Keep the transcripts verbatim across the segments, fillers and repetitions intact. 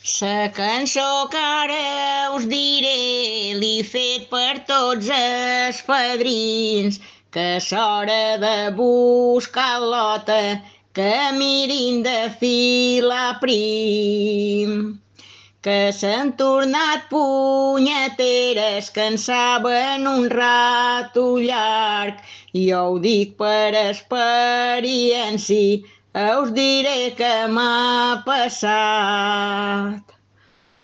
La cançó que ara us diré l'he fet per tots els padrins, que s'hora de buscar l'ota, que mirin de filar prim, que s'han tornat punyeteres, que en saben un rato llarg. Jo ho dic per experiència, us diré què m'ha passat.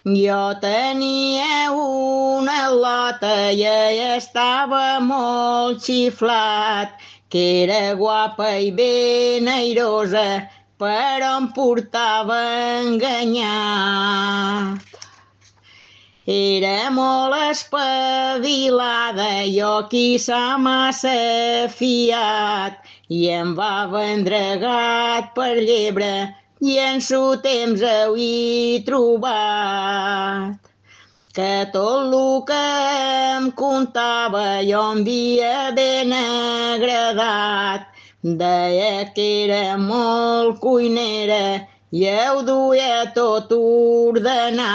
Jo tenia una lota i ella estava molt xiflat, que era guapa i ben airosa, però em portava enganyat. Era molt espavilada, jo qui s'ha massa fiat, i em va vendre gat per llebre, i en su temps ho he trobat. Que tot lo que em contava jo em havia ben agradat. Deia que era molt cuinera i ho duia tot ordenat.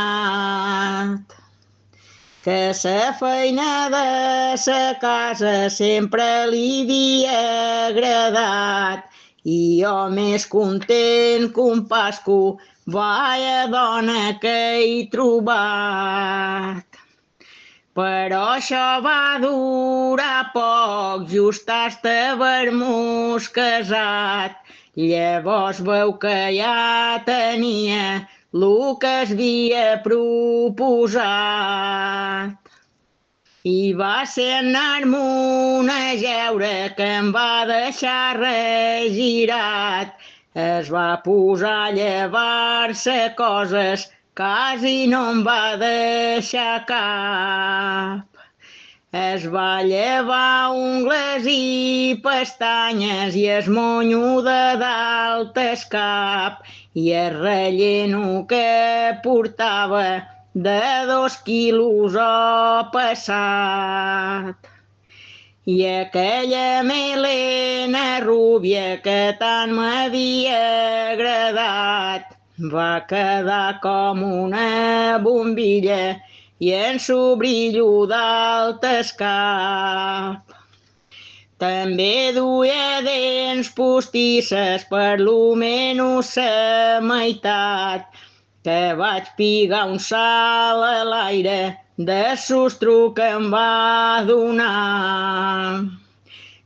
Que sa feina de sa casa sempre li havia agradat, i jo més content que un pasco, vaya dona que he trobat. Però això va durar poc, just hasta haver-nos casat. Llavors veu que ja tenia lo que es havia proposat. I va ser anar-me'n a jeure que em va deixar regirat. Es va posar a llevar-se coses, quasi no em va deixar cap. Es va llevar ungles i pestanyes i es monyo de dalt el cap, i el relleno que portava de dos quilos o passat. I aquella melena rúbia que tant m'havia agradat va quedar com una bombilla i en su brillo d'alt el cap. També duia dents postisses, per lo menys la meitat, que vaig pigar un salt a l'aire de sostro que em va donar.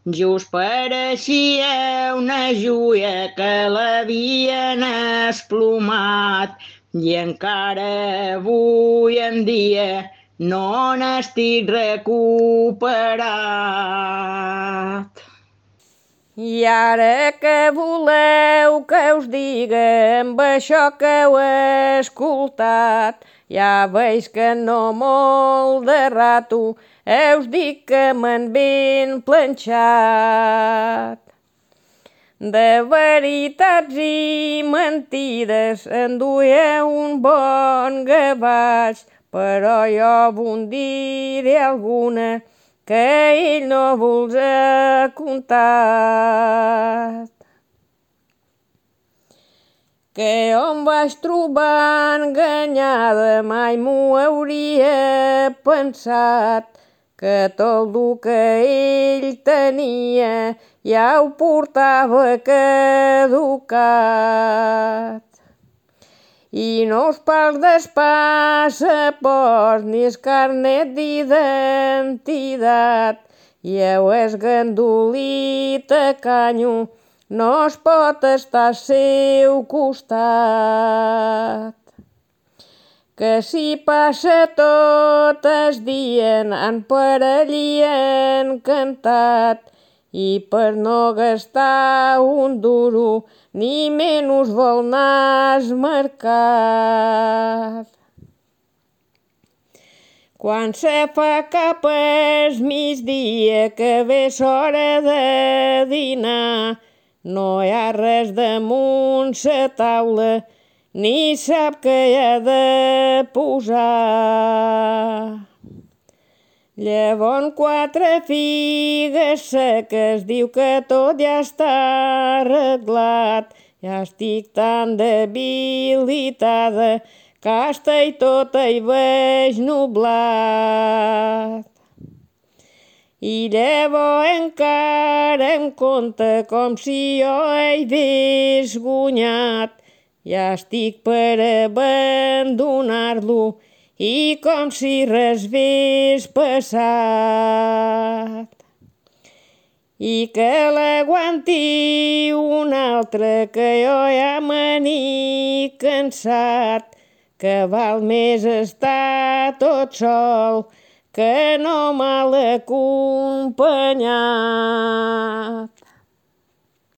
Just pareixia una joia que l'havien esplomat, i encara avui en dia no n'estic recuperat. I ara que voleu que us diga amb això que heu escoltat, ja veig que no molt de rato us dic que m'han ben planxat. De veritats i mentides en duia un bon gavatx, però jo vos diré alguna que ell no vols ha contat. Que on vaig trobar enganyada mai m'ho hauria pensat, que tot el que ell tenia ja ho portava caducat. I no us parlo dels passaports ni el carnet d'identitat, i heu es gandulit tacanyo, no es pot estar al seu costat. Que si passa tot el dia anant per allí encantat, i per no gastar un duro ni menys vol anar al mercat. Quan se fa cap al migdia que ve l'hora de dinar, no hi ha res damunt la taula, ni sap què hi ha de posar. Llavors quatre figues seques, diu que tot ja està arreglat. Ja estic tan debilitada casta i tota hi veig nublat. I llavors encara em conta com si jo hagués guanyat. Ja estic per abandonar-lo i com si res hagués passat. I que l'aguanti un altre, que jo ja me n'he cansat, que val més estar tot sol que no mal acompanyat.